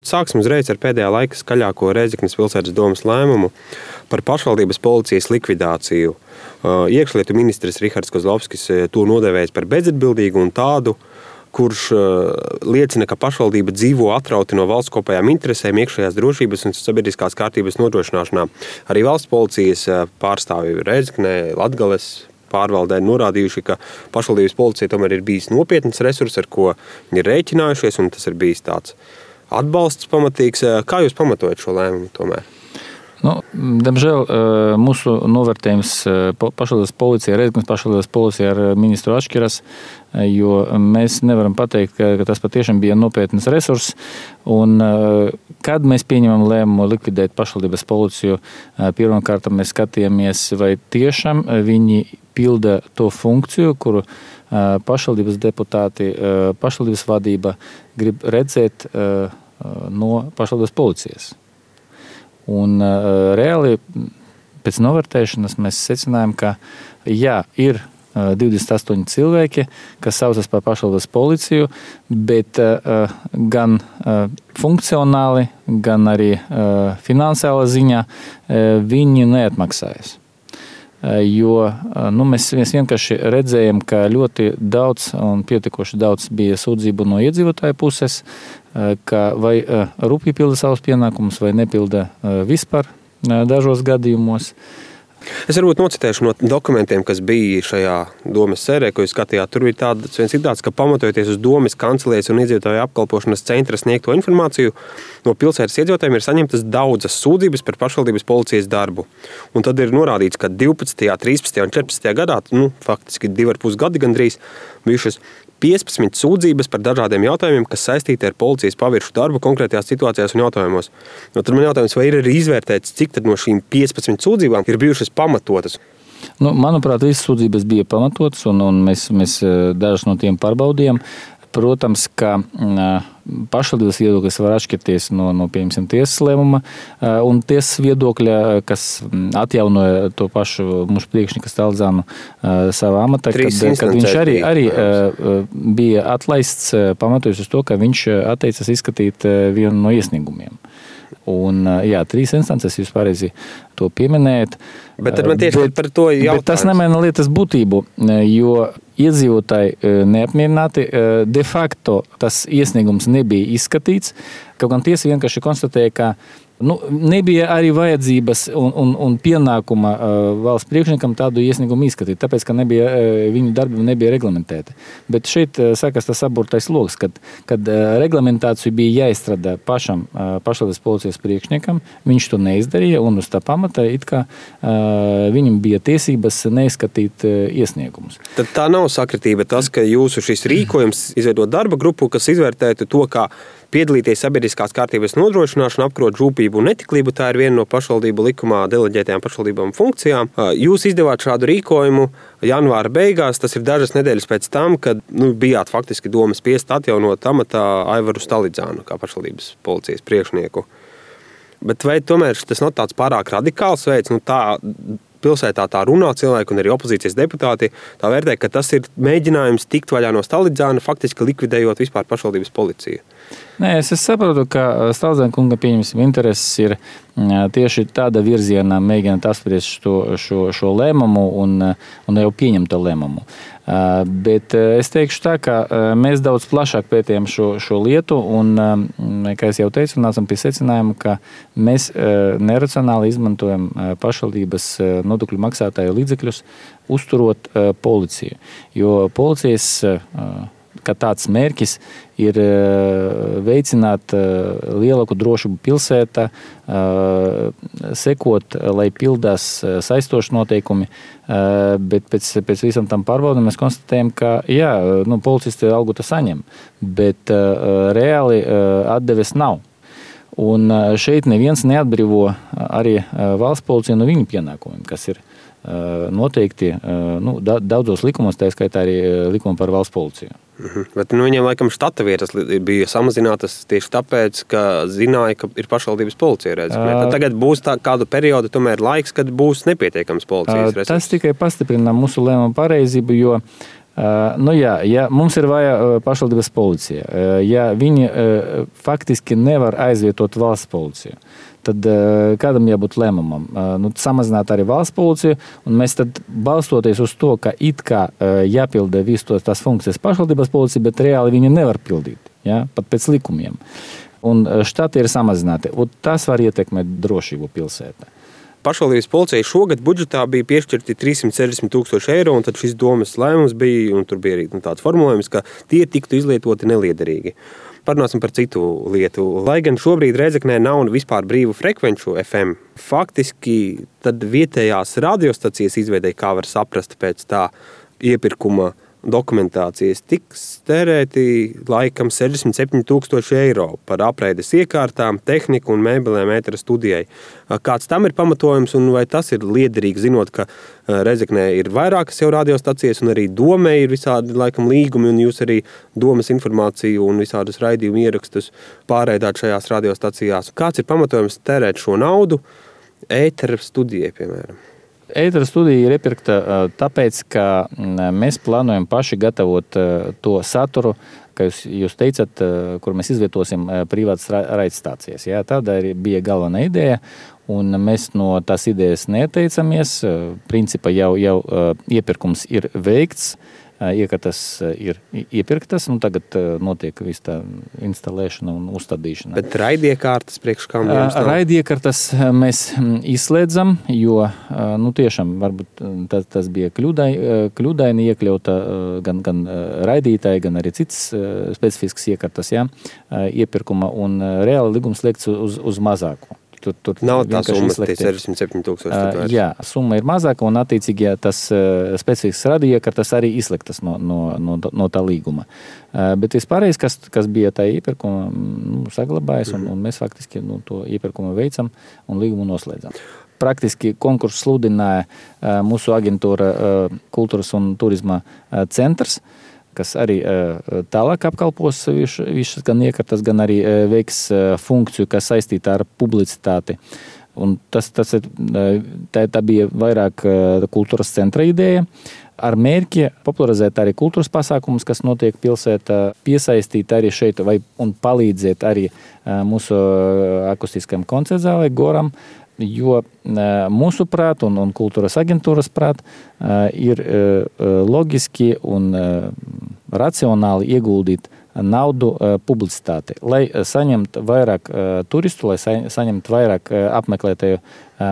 Sāksim uzreiz ar pēdējā laika skaļāko Rēzeknes pilsētas domes lēmumu par pašvaldības policijas likvidāciju. Iekšlietu ministrs Rihards Kozlovskis to nodēvējis par bezatbildīgu un tādu, kurš liecina, ka pašvaldība dzīvo atrauti no valsts kopējām interesēm, iekšējās drošības un sabiedriskās kārtības nodrošināšanā. Arī valsts policijas pārstāvji Rēzeknē, Latgales pārvaldē norādījuši, ka pašvaldības policija tomēr ir bijis nopietns resurs, ar ko viņi ir rēķinājušies, un tas ir bijis tāds atbalsts pamatīgs. Kā jūs pamatojat šo lēmumu tomēr? Diemžēl mūsu novērtējums pašvaldības policija, Rēzeknes pašvaldības policija ar ministru atšķiras, jo mēs nevaram pateikt, ka tas patiešām bija nopietns resurs. Un, kad mēs pieņemam lēmumu likvidēt pašvaldības policiju, pirmkārt mēs skatījāmies, vai tiešām viņi pilda to funkciju, kuru pašvaldības deputāti, pašvaldības vadība grib redzēt no pašvaldības policijas. Un reāli pēc novērtēšanas mēs secinājām, ka ir 28 cilvēki, kas saucas par pašvaldības policiju, bet gan funkcionāli, gan arī finansiāla ziņā viņi neatmaksājas. Jo mēs vienkārši redzējām, ka ļoti daudz un pietiekoši daudz bija sūdzību no iedzīvotāju puses, ka vai rūpīgi pilda savus pienākumus, vai nepilda vispār dažos gadījumos. Es varbūt nocitēšu no dokumentiem, kas bija šajā domes sērē, ko jūs skatījāt. Tur bija viens citāts, ka pamatojoties uz domes kancelējas un iedzīvotāju apkalpošanas centra sniegto informāciju, no pilsētas iedzīvotājiem ir saņemtas daudzas sūdzības par pašvaldības policijas darbu. Un tad ir norādīts, ka 12., 13. un 14. gadā, faktiski 2,5 gadi gandrīz, bijušas 15 sūdzības par dažādiem jautājumiem, kas saistīti ar policijas paviršu darbu konkrētajās situācijās un jautājumos. Tad man jautājums, vai ir arī izvērtēts, cik tad no šīm 15 sūdzībām ir bijušas pamatotas? Manuprāt, visas sūdzības bija pamatotas, un mēs dažas no tiem pārbaudījām. Protams, ka pašvaldības viedoklis var atšķirties no piemēram, tiesas lēmuma un tiesas viedokļa, kas atjaunoja to pašu mūsu priekšnieku Staldzānu savā amatā, kad viņš arī bija atlaists pamatojas uz to, ka viņš atteicas izskatīt vienu no iesniegumiem. Un, 3 instances jūs pareizi to pieminējat. Bet tad man tieši par to jautājums. Bet tas nemaina lietas būtību, jo iedzīvotāji neapmierināti. De facto tas iesniegums nebija izskatīts, kaut gan tiesa vienkārši konstatēja, ka nebija arī vajadzības un pienākuma valsts priekšniekam tādu iesniegumu izskatīt, tāpēc, ka viņu darbi nebija reglamentēti. Bet šeit sākas tas aburtais loks, kad reglamentāciju bija jāizstrādā pašam pašvaldības policijas priekšniekam, viņš to neizdarīja, un uz tā pamata it kā viņam bija tiesības neizskatīt iesniegumus. Tad tā nav sakritība tas, ka jūsu šis rīkojums izveidot darba grupu, kas izvērtētu to, kā piedalīties sabiedriskās kārtības nodrošināšanu, apkarot rūpību un netiklību, tā ir viena no pašvaldību likumā deleģētajām pašvaldībām funkcijām. Jūs izdevāt šādu rīkojumu janvāra beigās, tas ir dažas nedēļas pēc tam, kad bijāt faktiski domas spiest atjaunot amatā Aivaru Stalidzānu kā pašvaldības policijas priekšnieku. Bet vai tomēr tas nav tāds pārāk radikāls veids, tā pilsētā tā runā cilvēki un arī opozīcijas deputāti, tā vērtē, ka tas ir mēģinājums tikt vaļā no Stalidzāna, faktiski likvidējot vispār pašvaldības policiju? Nē, es saprotu, ka Staldzāna kunga pieņemsim intereses ir tieši tāda virzienā mēģināt apspriest šo lēmumu un jau pieņemto lēmumu. Bet es teikšu tā, ka mēs daudz plašāk pētījām šo lietu un, kā es jau teicu, nācam pie secinājuma, ka mēs neracionāli izmantojam pašvaldības nodokļu maksātāju līdzekļus, uzturot policiju. Jo policijas ka tāds mērķis ir veicināt lielāku drošību pilsētā, sekot, lai pildās saistoši noteikumi, bet pēc visam tam pārbaudam mēs konstatējam, ka policisti algu to saņem, bet reāli atdeves nav. Un šeit neviens neatbrīvo arī valsts policiju no viņu pienākumiem, kas ir noteikti daudzos likumos, tā skaitā arī likuma par valsts policiju. Bet viņiem laikam štata vietas bija samazinātas tieši tāpēc, ka zināja, ka ir pašvaldības policija Rēzeknē. Tad tagad būs kādu periodu tomēr laiks, kad būs nepietiekams policijas resursi. Tas tikai pastiprina mūsu lēmumu pareizību, jo Ja mums ir vajag pašvaldības policija, ja viņi faktiski nevar aizvietot valsts policiju, tad kādam jābūt lēmumam? Samazināt arī valsts policiju, un mēs tad balstoties uz to, ka it kā jāpilda visu tās funkcijas pašvaldības policija, bet reāli viņi nevar pildīt, ja? Pat pēc likumiem. Un štati ir samazināti, un tas var ietekmēt drošību pilsētā. Pašvaldības policijai šogad budžetā bija piešķirti 360,000 eiro, un tad šis domes lēmums bija, un tur bija arī tāds formulējums, ka tie tiktu izlietoti neliederīgi. Parunāsim par citu lietu. Lai gan šobrīd Rēzeknē nav vispār brīvu frekvenču FM, faktiski tad vietējās radiostacijas izveidēja, kā var saprast pēc tā iepirkuma dokumentācijas, tiks tērēti laikam 67,000 eiro par apreides iekārtām, tehniku un mēbelēm ētera studijai. Kāds tam ir pamatojums un vai tas ir liederīgi, zinot, ka Rēzeknē ir vairākas jau radiostacijas un arī Domē ir visādi laikam līgumi un jūs arī Domes informāciju un visādus raidījumu ierakstus pārraidāt šajās radiostacijās. Kāds ir pamatojums tērēt šo naudu ētera studijai, piemēram? Ētera studija ir iepirkta tāpēc, ka mēs plānojam paši gatavot to saturu, kā jūs teicat, kur mēs izvietosim privātas raidstācijas. Ja? Tāda bija galvenā ideja, un mēs no tās idejas neteicamies. Principā jau iepirkums ir veikts. Iekārtas ir iepirktas, un tagad notiek viss tā instalēšana un uzstādīšana. Bet raidiekārtas priekš kam jums nav? Raidiekārtas mēs izslēdzam, jo tiešām varbūt tas bija kļūdaini iekļauta gan raidītāji, gan arī citas specifiskas iekārtas, iepirkuma, un reāli līgums slēgts uz mazāku. Tur nav tā summa, tie 67,000. Jā, summa ir mazāka, un attiecīgi tas specifisks radioiekārtas arī izslēgtas no tā līguma. Bet vispārējais, kas bija tā iepirkuma, saglabājas, un mēs faktiski to iepirkumu veicam un līgumu noslēdzam. Praktiski konkursu sludināja mūsu aģentūra Kultūras un turisma centrs, kas arī tālāk apkalpos visas gan iekārtas, gan arī veiks funkciju, kas saistīta ar publicitāti. Un tā bija vairāk kultūras centra ideja, ar mērķi popularizēt arī kultūras pasākumus, kas notiek pilsētā, piesaistīt arī šeit un palīdzēt arī mūsu akustiskajam koncertzālei Goram, jo mūsu prāt un kultūras aģentūras prāt ir loģiski un racionāli ieguldīt naudu publicitāti, lai saņemtu vairāk turistu, lai saņemtu vairāk apmeklētāju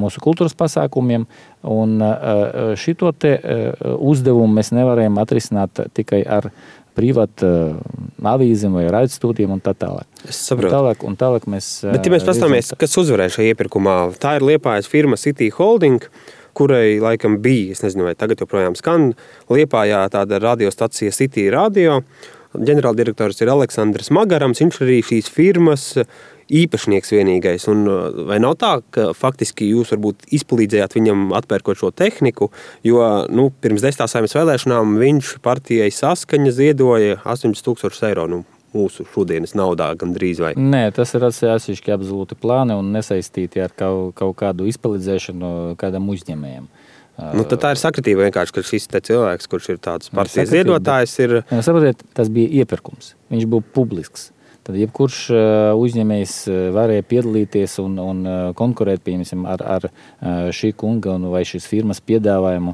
mūsu kultūras pasākumiem, un šito te uzdevumu mēs nevarējam atrisināt tikai ar privātu avīzēm vai raidstūdiem un tā tālāk. Es saprotu. Un tālāk mēs... Bet ja mēs pastāmies, kas uzvarēja šajā iepirkumā, tā ir Liepājas firma City Holding, kurai laikam bija, es nezinu, vai tagad joprojām skan, Liepājā tāda radiostacija City Radio. Ģenerāldirektors ir Aleksandrs Magarams, viņš arī šīs firmas īpašnieks vienīgais. Un vai nav tā, ka faktiski jūs varbūt izpalīdzējāt viņam atpērkot šo tehniku, jo pirms 10. Saeimas vēlēšanām viņš partijai Saskaņa ziedoja 80,000 eiro mūsu šodienas naudā gandrīz vai? Nē, tas ir atsevišķi absolūti plāni un nesaistīti ar kaut kādu izpalīdzēšanu kādam uzņēmējam. Tad tā ir sakritība vienkārši, ka šis te cilvēks, kurš ir tāds partijas ziedotājs, ir... Saprotiet, tas bija iepirkums. Viņš bija publisks. Tad jebkurš uzņēmējs varēja piedalīties un konkurēt, piemēram, ar šī kunga vai šīs firmas piedāvājumu.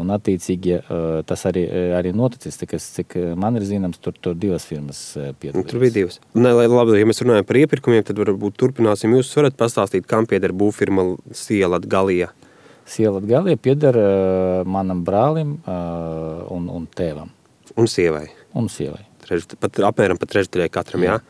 Un attiecīgi tas arī noticis, cik man ir zināms, tur divas firmas piedalījās. Tur bija divas. Labi, ja mēs runājam par iepirkumiem, tad varbūt turpināsim. Jūs varat pastāstīt, kam pieder būvfirma Sielatgalija? Sielatgalija pieder manam brālim un tēvam. Un sievai? Un sievai. Apmēram pat trešdaļai katram, jā.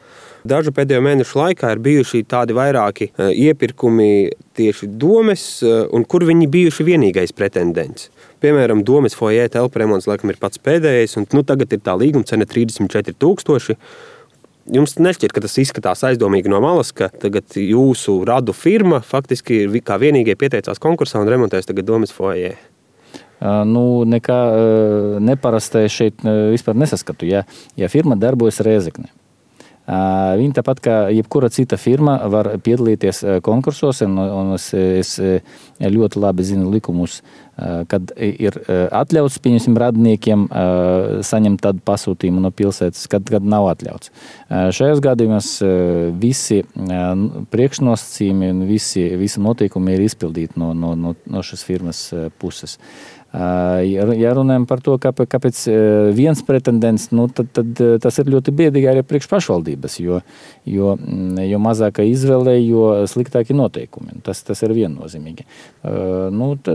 Dažu pēdējo mēnešu laikā ir bijuši tādi vairāki iepirkumi tieši Domes, un kur viņi bijuši vienīgais pretendents. Piemēram, Domes foijē telpu remonts laikam ir pats pēdējais, un tagad ir tā līguma cena 34,000. Jums nešķiet, ka tas izskatās aizdomīgi no malas, ka tagad jūsu radu firma faktiski kā vienīgie pieteicās konkursā un remontēs tagad Domes foijē? Nekā neparastai šeit vispār nesaskatu. Ja firma darbojas Rēzeknē, Viņi tāpat kā jebkura cita firma var piedalīties konkursos, un es ļoti labi zinu likumus, kad ir atļauts, pieņemsim, radniekiem saņemt tādu pasūtījumu no pilsētas, kad nav atļauts. Šajos gadījumos visi priekšnosacījumi un visi noteikumi ir izpildīti no šīs firmas puses. Ja runājam par to, kāpēc viens pretendents, tad tas ir ļoti biedīgi arī priekš pašvaldības, jo mazāka izvēle, jo sliktāki noteikumi. Tas ir viennozīmīgi.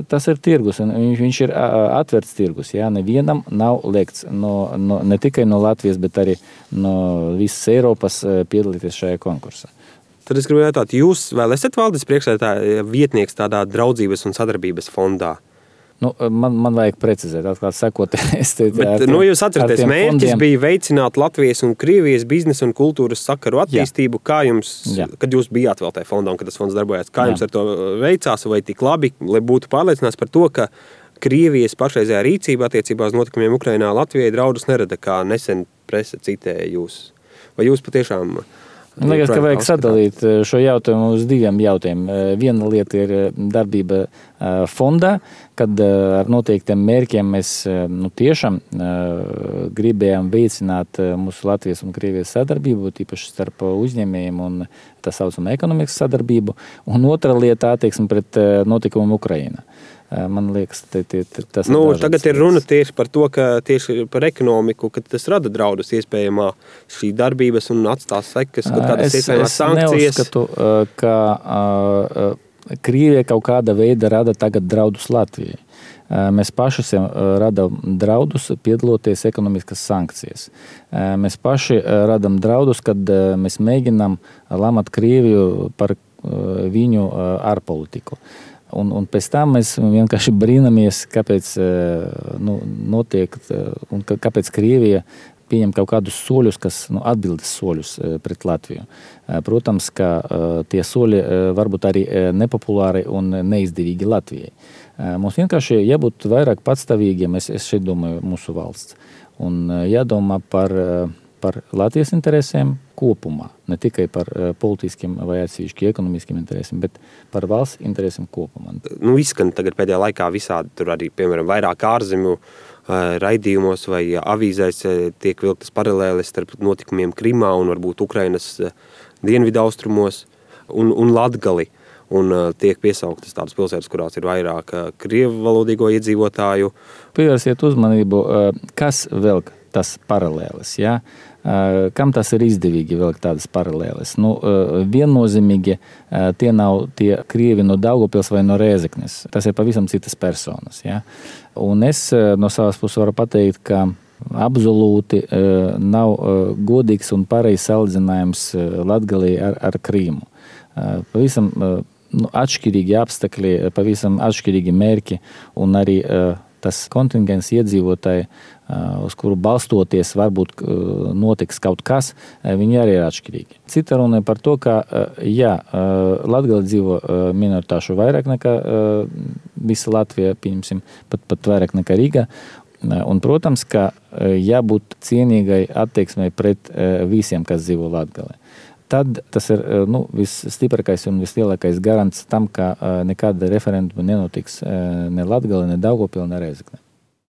Tas ir tirgus, un viņš ir atverts tirgus. Jā, nevienam nav liekts ne tikai no Latvijas, bet arī no visas Eiropas piedalīties šajā konkursā. Tad es gribu jautāt, jūs vēl esat valdes priekšsēdētāja vietnieks tādā draudzības un sadarbības fondā? Man vajag precizēt, atklāt sakot. Jūs atceraties, mērķis bija veicināt Latvijas un Krievijas biznesa un kultūras sakaru attīstību. Kā jums, kad jūs bijāt vēl tajā fondā un kad tas fonds darbojās, kā jums ar to veicās vai tik labi, lai būtu pārliecināts par to, ka Krievijas pašreizējā rīcība attiecībā uz notikumiem Ukrainā Latvijai draudus nerada, kā nesen presa citēja jūs? Vai jūs patiešām... Man liekas, ka vajag sadalīt šo jautājumu uz diviem jautājumiem. Viena lieta ir darbība fondā, kad ar noteiktiem mērķiem mēs tiešām gribējām veicināt mūsu Latvijas un Krievijas sadarbību, tīpaši starp uzņēmējiem un tā saucamā ekonomikas sadarbību. Un otra lieta attieksme pret notikumiem Ukrainā. Man liekas, tas ir tagad ir runa tieši par to, ka tieši par ekonomiku, ka tas rada draudus iespējamā šī darbības un atstās sekas, kaut kādas iespējamās sankcijas. Es neuzskatu, ka Krievija kaut kāda veida rada tagad draudus Latvijai. Mēs paši radām draudus, piedaloties ekonomiskas sankcijas. Mēs paši radām draudus, kad mēs mēģinām lamāt Krieviju par viņu ārpolitiku. Un pēc tam mēs vienkārši brīnamies, kāpēc notiek un kāpēc Krievija pieņem kaut kādus soļus, kas atbildes soļus pret Latviju. Protams, ka tie soļi varbūt arī nepopulāri un neizdevīgi Latvijai. Mums vienkārši jābūt vairāk patstāvīgiem, es šeit domāju, mūsu valsts. Un jādomā par Latvijas interesēm kopumā. Ne tikai par politiskiem vai atsevišķi ekonomiskiem interesēm, bet par valsts interesēm kopumā. Izskan tagad pēdējā laikā visādi, tur arī, piemēram, vairāk ārzemju raidījumos vai avīzēs tiek vilktas paralēles starp notikumiem Krimā un varbūt Ukrainas dienvidaustrumos un Latgali. Un tiek piesauktas tādas pilsētas, kurās ir vairāk krievu valodīgo iedzīvotāju. Pievērsiet uzmanību, kas velk tas paralēles, jā? Kam tas ir izdevīgi velk tādas paralēles? Viennozīmīgi tie nav tie krievi no Daugavpils vai no Rēzeknes. Tas ir pavisam citas personas, jā? Un es no savas puses varu pateikt, ka absolūti nav godīgs un pareizs salīdzinājums Latgalī ar Krīmu. Pavisam atšķirīgi apstākļi, pavisam atšķirīgi mērķi un arī tas kontingents iedzīvotāji, uz kuru balstoties varbūt notiks kaut kas, viņi arī ir atšķirīgi. Cita runa par to, ka Latgalī dzīvo minoritāšu vairāk nekā visa Latvija, pieņemsim, pat vairāk nekā Rīga. Un, protams, ka jābūt cienīgai attieksmei pret visiem, kas dzīvo Latgalī. Tad tas ir visstiprākais un vislielākais garants tam, ka nekāda referenduma nenotiks ne Latgalī, ne Daugavpilī, ne Rēzeknē.